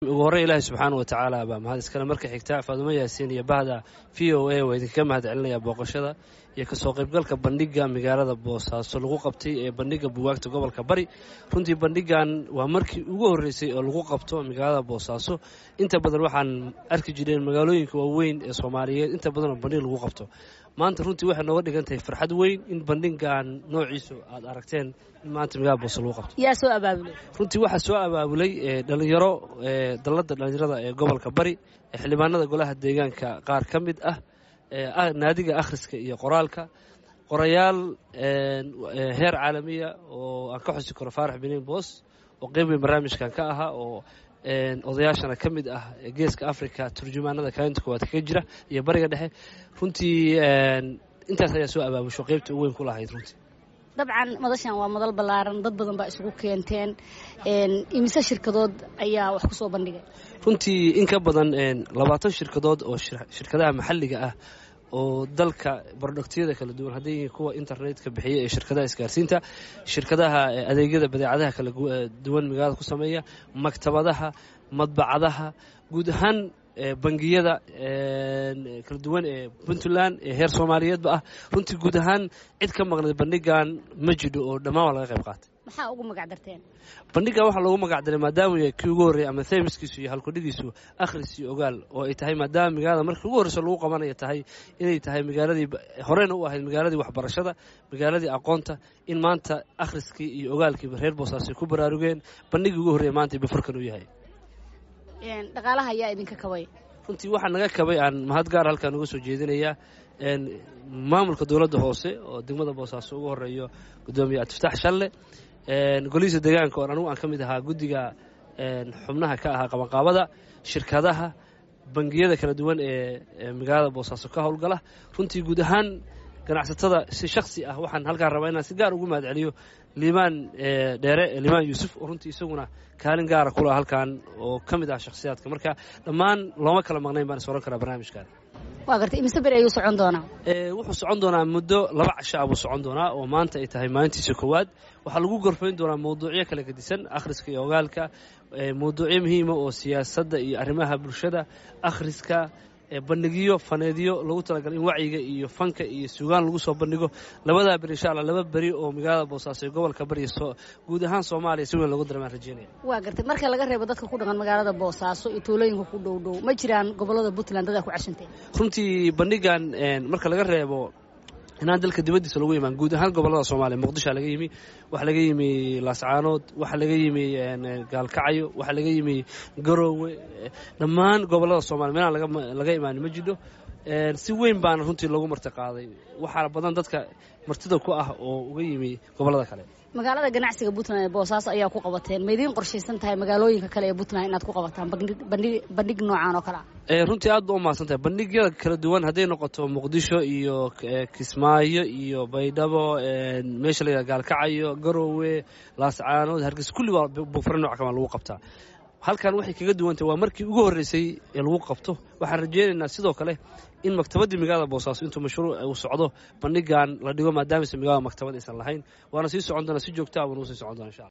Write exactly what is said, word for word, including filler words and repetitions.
Ugu horreyn, Ilaahay subxaana wa tacaala baa mahad iskale. Marka xigta, Faadumo Yaasiin iyo bahda V O A waa idinkaga mahad celinaya booqashada iyo kasoo qaybgalka bandhiga magaalada Boosaaso lagu qabtay ee bandhiga buugaagta gobolka Bari. Runtii bandhigan waa markii ugu horreysay oo lagu qabto magaalada Boosaaso. Inta badan waxaan arki jireen magaalooyinka waaweyn ee Soomaaliyeed inta badan oo bandhig lagu qabto. Maanta runtii waxay nooga dhigan tahay farxad weyn in bandhigan noociisu aad aragteen in maanta magaalada Boosaaso lagu qabto. Yaa soo abaabulay? Runtii waxaa soo abaabulay dhalinyaro, dalladda dhalinyarada ee gobolka Bari, xildhibaanada golaha deegaanka qaar ka mid ah, naadiga akhriska iyo qoraalka, qorayaal heer caalamiya oo aan ka xusi karo Faarax Biniin Boos oo qeyb weyn barnaamijkan ka ahaa, oo odayaashana ka mid ah Geeska Africa, turjumaanada kaalinta koowaad kaga jira iyo Bariga Dhexe. Runtii intaas ayaa soo abaabusho, qeybta ugu weyn ku lahayd runtii. Dabcan madashan waa madal ballaaran, dad badan baa isugu keenteen. Imise shirkadood ayaa wax ku soo bandhigay? Runtii in ka badan labaatan shirkadood oo shirkadaha maxalliga ah oo dalka productyada kala duwan, hadday yihiin kuwa internetka bixiya ee shirkadaha isgaarsiinta, shirkadaha adeegyada badeecadaha kala duwan magaalada ku sameeya, maktabadaha, madbacadaha, guud ahaan bangiyada kala duwan ee Puntland ee heer Soomaaliyeedba ah, runtii guud ahaan cid ka maqnayd bandhigan ma jidho oo dhammaan waa laga qayb qaatay. Maxaa ugu magac darteen? Bandhigan waxaa loogu magac daray, maadaama yahay kii ugu horreeyay ama themiskiisu iyo halkudhigiisu akhris iyo ogaal, oo ay tahay maadaama magaalada markii ugu horreysa lagu qabanayo tahay inay tahay magaaladii horeyna u ahayd magaaladii waxbarashada, magaaladii aqoonta, in maanta akhriskii iyo ogaalkiiba reer Boosaaso ku baraarugeen, bandhigii ugu horreeyay maanta bafurkan uu yahay. Dhaqaalaha ayaa idinka kabay? Runtii waxaa naga kabay, aan mahad gaar halkaan uga soo jeedinayaa, maamulka dowladda hoose oo degmada Boosaaso ugu horeeyo guddoomiye Abdifataax Shalle, golihiisa deegaanka oon anugu aan ka mid ahaa guddiga xubnaha ka ahaa qabanqaabada, shirkadaha, bangiyada kala duwan ee magaalada Boosaaso ka howlgala, runtii guud ahaan ganacsatada si shaksi ah. Waxaan halkaan rabaa inaan si gaar ugu mahad celiyo Liibaan Dheere, Liibaan Yuusuf, oo runtii isaguna kaalin gaara kulaha halkaan oo ka mid ah shakhsiyaadka. Marka dhammaan looma kala maqnayn baan is oran karaa barnaamijkan. Waa gartay. Imise beri ayuu socon doonaa? Wuxuu socon doonaa muddo laba casho ah buu socon doonaa, oo maanta ay tahay maalintiisa koowaad. Waxaa lagu gorfayn doonaa mawduucyo kala gedisan, akhriska iyo ogaalka, mawduucyo muhiima oo siyaasadda iyo arrimaha bulshada, akhriska, bandhigyo faneedyo lagu talagalay in wacyiga iyo fanka iyo suugaan lagu soo bandhigo labadaa beri, insha Allah. Laba beri oo magaalada Boosaaso ee gobolka Bari guud ahaan Soomaaliya si weyn loogu dareemaan rajeynaya. Waa gartay. Marka laga reebo dadka ku dhaqan magaalada Boosaaso iyo tuulooyinka ku dhow dhow, ma jiraan gobolada Puntland dadaa ku cashanteen? Runtii bandhigan, marka laga reebo inaan dalka dibaddiisa lagu imaan, guud ahaan gobollada Soomaaliya, Muqdishoa laga yimi, waxaa laga yimi Laascaanood, waxaa laga yimi Gaalkacyo, waxaa laga yimi Garoowe, dhammaan gobollada Soomaliya meelaan laga imaanin ma jidho. Si weyn baana runtii loogu marti qaaday. Waxaana badan dadka martida ku ah oo uga yimi gobollada kale. Magaalada ganacsiga Puntland ee Boosaaso ayaa ku qabateen. Ma idiin qorshaysan tahay magaalooyinka kale ee Puntland inaad ku qabataan bandhig noocaan oo kale ah? Runtii aad ba u mahadsan tahay. Bandhigyada kala duwan, hadday noqoto Muqdisho iyo Kismaayo iyo Baydhabo, meesha la yidhaha Gaalkacayo, Garoowe, Laascaanood, Hargeysa, kulli waa bufre nooc kamaa lagu qabtaa. Halkan waxay kaga duwantahay waa markii ugu horreysay ee lagu qabto. Waxaan rajeynaynaa sidoo kale in maktabaddii magaalada Boosaaso intuu mashruuc uu socdo bandhigan la dhigo, maadaamase magaalada maktabad aysan lahayn. Waana sii socon doonaa, si joogta ah waana usii socon doona, insha Allah.